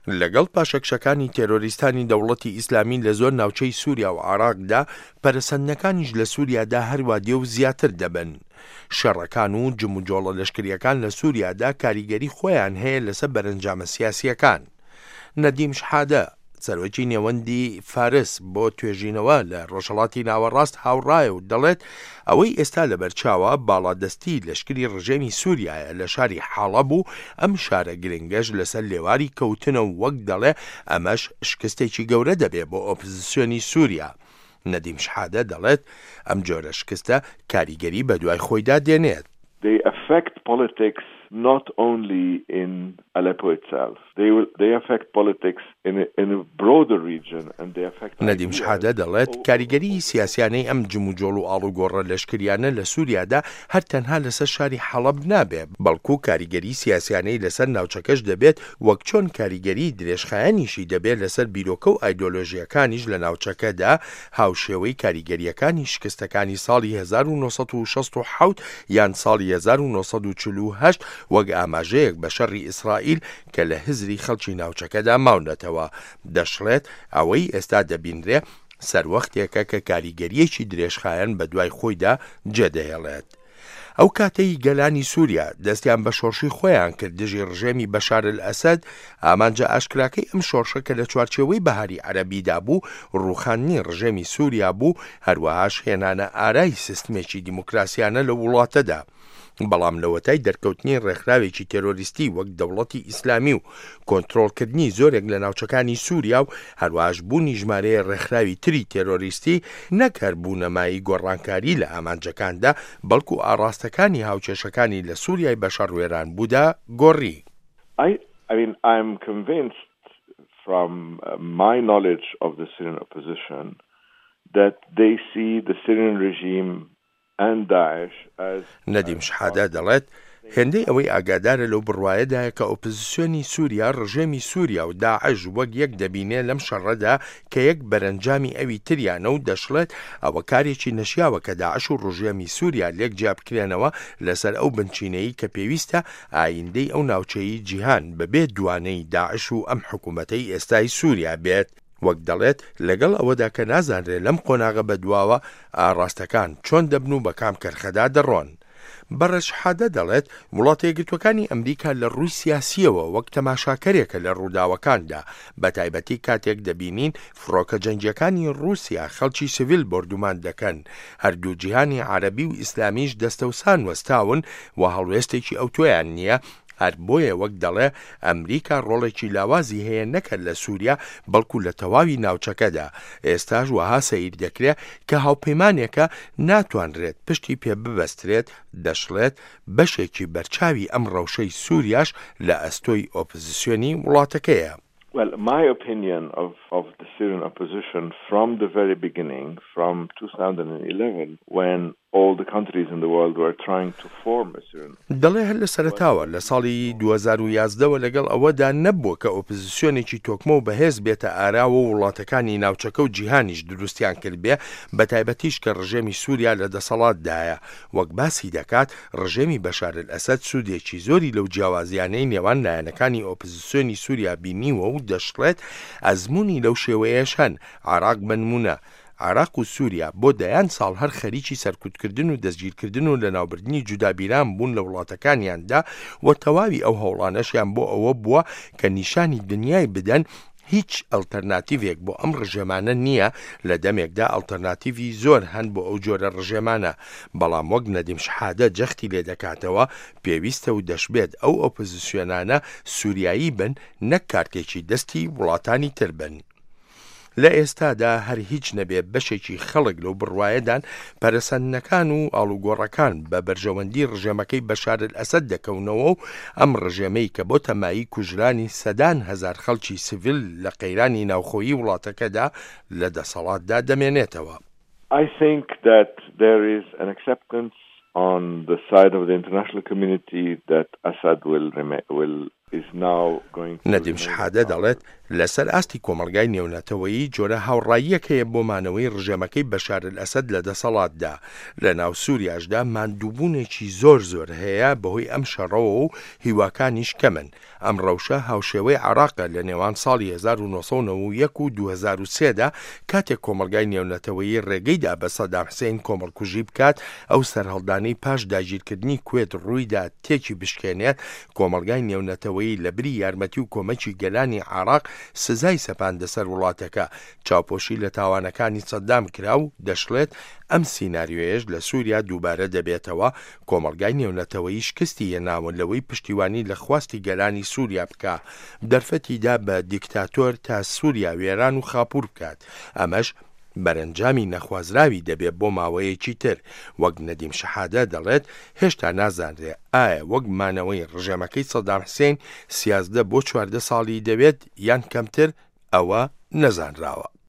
لەگەڵ پاشەکشەکانی تێرۆریستانی دەوڵەتی ئیسلامی لە زۆر ناوچەی سووریا و عێراقدا، پەرەسەندنەکانیش لە سووریادا هەروا دێ و زیاتر دەبن. شەڕەکان و جموجۆڵە لەشکرییەکان لە سووریادا کاریگەری خۆیان هەیە لەسەر بەرەنجامە سیاسییەکان. نەدیم شحادە، سەرۆکی نێوەندی فارس بۆ توێژینەوە لە ڕۆژهەڵاتی ناوەڕاست هاوڕایە و دەڵێت، ئەوەی ئێستا لەبەرچاوە باڵادەستی لەشکری ڕژێمی سوریایە لە شاری حەڵەب و ئەم شارە گرنگەش لەسەر لێواری کەوتنە و وەک دەڵێ ئەمەش شکستێکی گەورە دەبێ بۆ ئۆپزسیۆنی سوریا. نەدیم شحادە دەڵێت ئەم جۆرە شکستە کاریگەری بەدوای خۆیدا دێنێت. They affect politics not only in Aleppo itself. They will, they affect politics in a, in a broader region and they affect نەدیم شحادە دەڵێت، کاریگەریی سیاسیانەی ئەم جموجۆڵ و ئاڵوگۆڕە لەشکریانە لە سوریادا هەر تەنها لەسەر شاری حەڵەب نابێ، بەڵکو کاریگەری سیاسیانەی لەسەر ناوچەکەش دەبێت، وەک چۆن کاریگەریی درێژخایەنیشی دەبێ لەسەر بیرۆکە و ئایدۆلۆژییەکانیش لە ناوچەکەدا، هاوشێوەی کاریگەرییەکانی شکستەکانی ساڵی 1967 یان ساڵی 1948 وەک ئاماژەیەک بە شەڕی ئیسرائیل کە لە هزری خەڵکی ناوچەکەدا ماونەتەوە. دەشڵێت، ئەوەی ئێستا دەبینرێ سەروەختێکە کە کاریگەرییەکی درێژخایەن بەدوای خۆیدا جێدەهێڵێت. ئەو کاتەی گەلانی سووریا دەستیان بە شۆڕشی خۆیان کرد دژی ڕژێمی بەشار ئەلئەسەد، ئامانجە ئاشکراکەی ئەم شۆڕشە کە لە چوارچێوەی بەهاری عەرەبیدا بوو، ڕووخاندنی ڕژێمی سووریا بوو، هەروەهاش هێنانە ئارای سیستمێکی دیموکراسیانە لەو وڵاتەدا. بەڵام لەوەتای دەرکەوتنی ڕێکخراوێکی تێرۆریستی وەک دەوڵەتی ئیسلامی و کۆنترۆڵکردنی زۆرێک لە ناوچەکانی سووریا و هەروەهاش بوونی ژمارەیە ڕێکخراوی تری تێرۆریستی نەک هەر بوونە مایەی گۆڕانکاری لە ئامانجەکاندا بەڵکو ئاڕاستەکانی هاوکێشەکانی لە سووریای بەشەڕ وێرانبوودا گۆڕی. I I mean I'm convinced from my knowledge of the Syrian opposition that they see the Syrian regime نەدیم شحادە دەڵێت، هێندەی ئەوەی ئاگادارە لەو بڕوایەدایە کە ئۆپزسیۆنی سووریا ڕژێمی سووریا و داعش وەک یەک دەبینێ لەم شەڕەدا کە یەک بەرەنجامی ئەوی تریانە و دەشڵێت ئەوە کارێکی نەشیاوە کە داعش و ڕژێمی سووریا لێک جیابکرێنەوە لەسەر ئەو بنچینەی کە پێویستە ئایندەی ئەو ناوچەی جیهان بەبێ دوانەی داعش و ئەم حکوومەتەی ئێستای سووریا بێت. وەک دەڵێت لەگەڵ ئەوەدا کە نازانرێ لەم قۆناغە بەدواوە ئاڕاستەکان چۆن دەبن و بە کام کەرخەدا دەڕۆن. بەڕێز شحادە دەڵێت وڵاتەیەکگرتووەکانی ئەمریکا لە ڕووی سیاسییەوە وەک تەماشاکەرێکە لە ڕووداوەکاندا، بەتایبەتی کاتێک دەبینین فڕۆکە جەنگییەکانی ڕووسیا خەڵکی سڤیل بۆردومان دەکەن، هەردوو جیهانی عەرەبی و ئیسلامیش دەستەوسان وەستاون و هەڵوێستێکی ئەوتۆیان نییە، هەر بۆیە وەک دەڵێ ئەمریکا ڕۆڵێکی لاوازی هەیە نەک هەر لە سووریا بەڵکو لە تەواوی ناوچەکەدا، ئێستاش وەها سەیر دەکرێ کە هاوپەیمانێکە ناتوانرێت پشتی پێ ببەسترێت، دەشڵێت بەشێکی بەرچاوی ئەم ڕەوشەی سووریاش لە ئەستۆی ئۆپزسیۆنی وڵاتەکەیە. Well, my opinion of, of the Syrian opposition from the very beginning, from 2011, when all the countries in the world were trying to form a Syrian دەڵێ هەر لە سەرەتاوە لە ساڵی 2011 وە لەگەڵ ئەوەدا نەبووە کە ئۆپزسیۆنێکی تۆکمە و بەهێز بێتە ئاراوە و وڵاتەکانی ناوچەکە و جیهانیش دروستیان کردبێ بەتایبەتیش کە ڕژێمی سووریا لە دەسەڵاتدایە وەک باسی دەکات ڕژێمی بەشار ئەلئەسەد سوودێکی زۆری لەو جیاوازیانەی نێوان لایەنەکانی ئۆپزسیۆنی سووریا بینیوە و دەشڵێت ئەزموونی لەو شێوەیەش هەن عێراق بەنموونە عێراق و سووریا بۆ دەیان ساڵ هەر خەریکی سەرکوتکردن و دەستگیرکردن و لەناوبردنی جودابیران بوون لە وڵاتەکانیاندا و تەواوی ئەو هەوڵانەشیان بۆ ئەوە بووە کە نیشانی دنیای بدەن هیچ ئەڵتەرناتیڤێک بۆ ئەم ڕژێمانە نییە لە دەمێکدا ئەڵتەرناتیڤی زۆر هەن بۆ ئەو جۆرە ڕژێمانە بەڵام وەک نەدیم شحادە جەختی لێدەکاتەوە پێویستە و دەشبێت ئەو ئۆپۆزسیۆنانە سوریایی بن نەک کارتێکی دەستی وڵاتانی تر بن. لە ئێستادا هەر هیچ نەبێ بەشێکی خەڵک لەو بڕوایەدان پەرەسەندنەکان و ئاڵوگۆڕەکان بە بەرژەوەندی ڕژێمەکەی بەشار ئەلئەسەد دەکەونەوە و ئەم ڕژێمەی کە بۆتە مایەی کوژرانی سەدان هەزار خەڵکی سڤیل لە قەیرانی ناوخۆیی وڵاتەکەدا لە دەسەڵاتدا دەمێنێتەوە. I think that there is an acceptance on the side of the international community that Assad will remain, will is now going to نەدیم شحادە دەڵێت، لەسەر ئاستی کۆمەڵگای نێونەتەوەیی جۆرە هاوڕاییەک هەیە بۆ مانەوەی ڕژێمەکەی بەشار ئەلئەسەد لە دەسەڵاتدا. لە ناو سوریاشدا ماندووبوونێکی زۆر زۆر هەیە بەهۆی ئەم شەڕەوە و هیواکانیش کەمن. ئەم ڕەوشە هاوشێوەی عێراقە لە نێوان ساڵی 1991 و 2003 دا کاتێک کۆمەڵگای نێونەتەوەیی ڕێگەی دا بە سەدام حسین کۆمەڵکوژی بکات، ئەو سەرهەڵدانەی پاش داگیرکردنی کوێت ڕوویدا تێکی بشکێنێت، کۆمەڵگای نێونەتەوەیی لە بری یارمەتی و کۆمەکی گەلانی عێراق سزای سەپاندە سەر وڵاتەکە، چاوپۆشی لە تاوانەکانی سەدام کرا و دەشڵێت ئەم سیناریۆیەش لە سوریا دووبارە دەبێتەوە، کۆمەڵگای نێونەتەوەیی شکستی هێناوە لەوەی پشتیوانی لە خواستی گەلانی سوریا بکا، دەرفەتی دا بە دیکتاتۆر تا سوریا وێران و خاپوور بکات، ئەمەش بەرەنجامی نەخوازراوی دەبێ بۆ ماوەیەکی تر، وەک نەدیم شەحادە دەڵێت هێشتا نازانرێ ئایا وەک مانەوەی ڕژێمەکەی سەدام حسین سیازدە بۆ 14 ساڵی دەوێت یان کەمتر، ئەوە نەزانراوە.